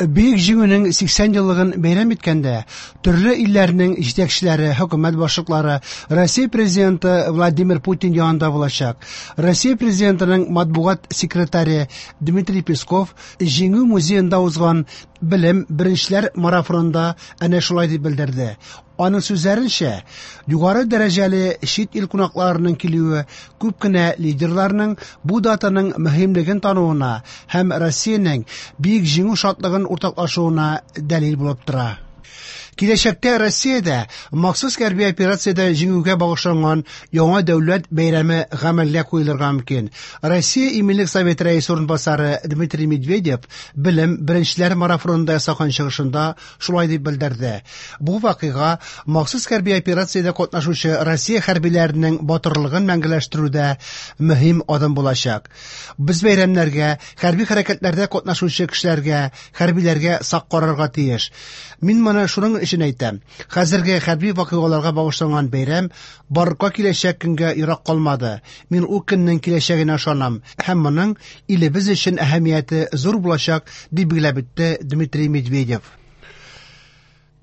Бөек Җиңүнең 80 еллыгын бәйрәм иткәндә, төрле илләрнең җитәкчеләре, хөкүмәт башлыклары Россия Президенты Владимир Путин янында булачак. Россия Президентының матбугат секретаре Дмитрий Песков Җиңү музеенда узган Белем беренчеләр марафонында әнә шулай дип белдерде. Аның сүзләренчә, югары дәрәҗәле чит ил кунакларының килүе күп кенә лидерларның бу датаның мөһимлеген тануына һәм Россиянең Бөек Җиңү шатлыгын уртаклашуына дәлил булып тора. Киләчәктә Россиядә махсус хәрби операциядә җиңүгә багышланган яңа дәүләт бәйрәме гамәлгә куелырга мөмкин. Россия Иминлек Советы рәисе урынбасары Дмитрий Медведев Белем беренчеләр марафонында ясаган чыгышында шулай дип белдерде. Бу вакыйга махсус хәрби операциядә катнашучы Россия хәрбиләренең батырлыгын мәңгеләштерүдә мөһим адым булачак. Без бәйрәмнәргә, хәрби хәрәкәтләрдә катнашучы кешеләргә, хәрбиләргә сак карарга тиеш. Мин моны шуның өчен әйтәм. Хәзерге хәрби вакыйгаларга багышланган бәйрәм барлыкка киләчәк көнгә ерак калмады. Мин ул көннең киләчәгенә ышанам һәм моның илебез өчен әһәмияте зур булачак, дип билгеләп үтте Дмитрий Медведев.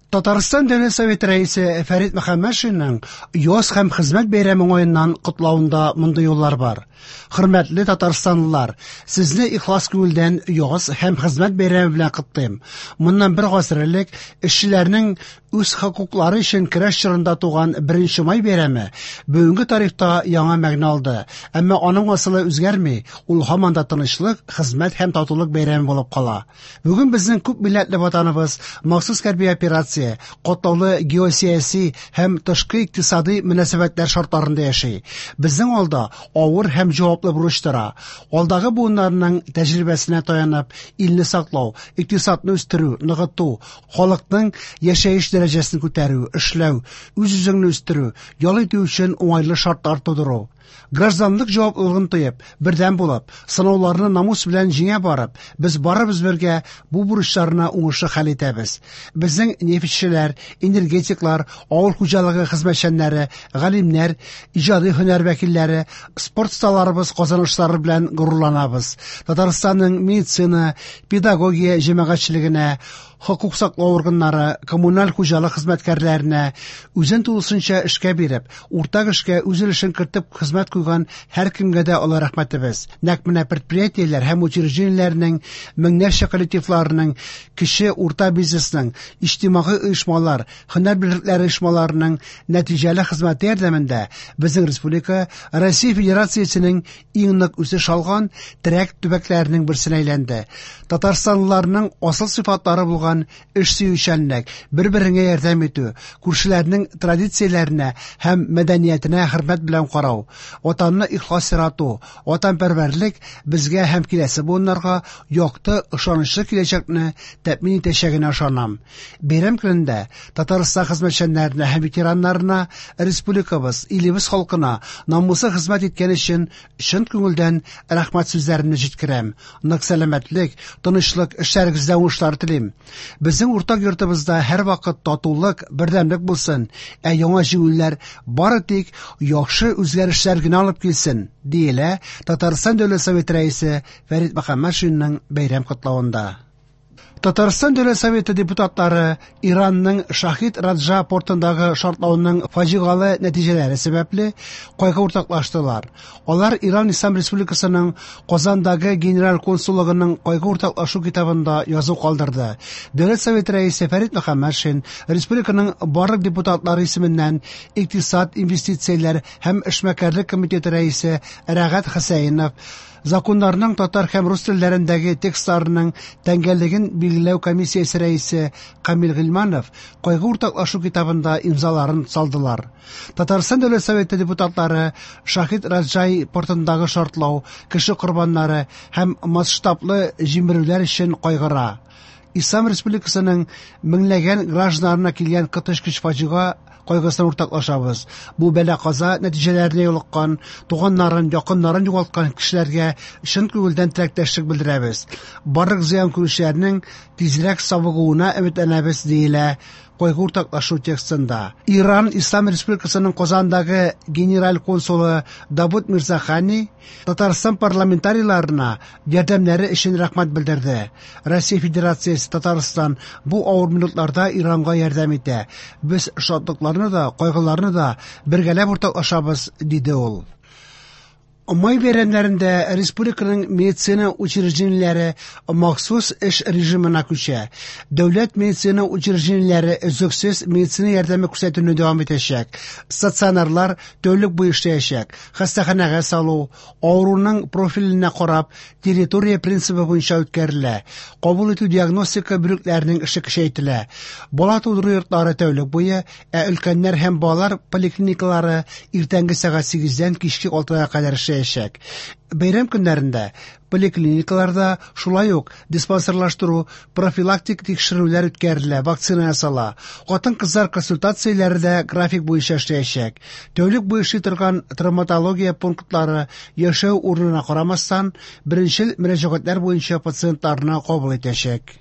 Татарстан Дәүләт Советы рәисе Фәрит Мөхәммәтшинның яз һәм хезмәт бәйрәме уңаеннан котлавында мондый юллар бар. Хөрмәтле татарстанлылар, сезне ихлас күңелдән яз һәм хезмәт бәйрәме белән котлыйм. Моннан бер гасыр элек эшчеләрнең үз хокуклары өчен көрәш чорында туган Беренче май бәйрәме бүгенге тарихта яңа мәгънә алды. Әмма аның асылы үзгәрми, ул һаман да тынычлык, хезмәт һәм татулык бәйрәме булып кала. Бүген безнең күп милләтле ватаныбыз махсус хәрби операция, катлаулы геосәяси һәм тышкы икътисадый мөнәсәбәтләр шартларында яши. Безнең алда авыр һәм җаваплы бурыч тора. Алдагы буыннарның тәҗрибәсенә таянып, илне саклау, икътисадны үстерү, ныгыту, халыкның яшәеш дәрәҗәсен күтәрү, эшләү, үз-үзеңне үстерү, ял итү өчен уңайлы шартлар тудыру. Гражданлык җаваплылыгын тоеп, бердәм булып, сынауларны намус белән җиңә барып, без барыбыз бергә бу бурычларны уңышлы хәл итәбез. Безнең нефтьчеләр, энергетиклар, авыл хуҗалыгы хезмәтчәннәре, галимнәр, иҗади һөнәр вәкилләре, спорт осталарыбыз казанышлары белән горурланабыз. Татарстанның медицина, педагогия җәмәгатьчелегенә, хокук саклау органнары, коммуналь хуҗалык хезмәткәрләренә, үзен тулысынча эшкә биреп, уртак эшкә үз өлешен кертеп хезмәт куйган һәркемгә дә олы рәхмәтебез. Нәкъ менә предприятиеләр һәм учреждениеләрнең меңнәрчә коллективларының, кече, урта бизнесның, иҗтимагый оешмалар, һөнәр берлекләре оешмаларының нәтиҗәле хезмәте ярдәмендә безнең республика Россия Федерациясенең иң нык үсеш алган терәк төбәкләренең берсенә әйләнде. Татарстанлыларның асыл сыйфатлары булган эш сөючәнлек, бер-береңә ярдәм итү, күршеләрнең традицияләренә һәм мәдәниятенә хөрмәт белән карау, Ватанны ихлас ярату, ватанпәрвәрлек безгә һәм киләсе буыннарга якты, ышанычлы киләчәкне тәэмин итәчәгенә ышанам. Бәйрәм көнендә Татарстан хезмәтчәннәренә һәм ветераннарына, республикабыз, илебез халкына намуслы хезмәт иткән өчен чын күңелдән рәхмәт сүзләремне җиткерәм. Нык сәламәтлек, тынычлык, эшләрегездә уңышлар телим. Безнең уртак йортыбызда һәрвакыт татулык, бердәмлек булсын, ә яңа җиңүләр бары тик яхшы үзгәрешләр генә алып килсен, диелә Татарстан Дәүләт Советы Рәисе Фәрит Мөхәммәтшинның бәйрәм котлавында. Татарстан Дәүләт Советы депутатлары Иранның Шахид Раджа портындагы шартлауның фаҗигале нәтиҗәләре сәбәпле кайгы уртаклаштылар. Алар Иран Ислам Республикасының Казандагы генераль консуллыгының кайгы уртаклашу китабында язу калдырды. Дәүләт Советы рәисе Фәрит Мөхәммәтшин республиканың барлык депутатлары исеменнән Икътисад, инвестицияләр һәм эшмәкәрлек комитеты рәисе Рәгать Хөсәенов, Законнарның татар һәм рус телләрендәге текстларының тәңгәллеген билгеләү комиссиясе рәисе Камил Гыйльманов кайгы уртаклашу китабында имзаларын салдылар. Татарстан Дәүләт Советы депутатлары Шахид Раджай портындагы шартлау, кеше корбаннары һәм масштаблы җимерүләр өчен кайгыра. Ислам Республикасының меңләгән гражданнарына килгән коточкыч фаҗига кайгысын уртаклашабыз. Бу бәла-каза нәтиҗәләренә юлыккан, туганнарын, якыннарын югалткан кешеләргә чын күңелдән теләктәшлек белдерәбез. Барлык зыян күрүчеләрнең тизрәк савыгуына өметләнәбез, диелә кайгы уртаклашу текстында. Иран Ислам Республикасының Казандагы генераль консулы Давуд Мирзахани Татарстан парламентарийларына ярдәмнәре өчен рәхмәт белдерде. Россия Федерациясе, Татарстан бу авыр минутларда Иранга ярдәм итә. Без шатлыкларны да, кайгыларны да бергәләп уртаклашабыз, диде ул. Май бәйрәмнәрендә республиканың медицина учреждениеләре махсус эш режимына күчә. Дәүләт медицина учреждениеләре өзлексез медицина ярдәме күрсәтүне дәвам итәчәк. Стационарлар тәүлек буе эшләячәк. Хастаханәгә салу, авыруның профиленә карап, территория принцибы буенча үткәрелә. Кабул итү диагностика бүлекләренең эше көчәйтелә. Бала тудыру йортлары тәүлек буе, ә өлкәннәр һәм балалар поликлиникалары иртәнге сәгать 8-дән кичке 6-га кадәр эшләячәк. Бәйрәм көннәрендә поликлиникаларда шулай ук диспансерлаштыру, профилактик тикшерүләр үткәрелә, вакцина ясала. Хатын-кызлар консультацияләре дә график буенча эшләячәк. Тәүлек буе эшли торган травматология пунктлары яшәү урынына карамастан, беренчел мөрәҗәгатьләр буенча пациентларны кабул итәчәк.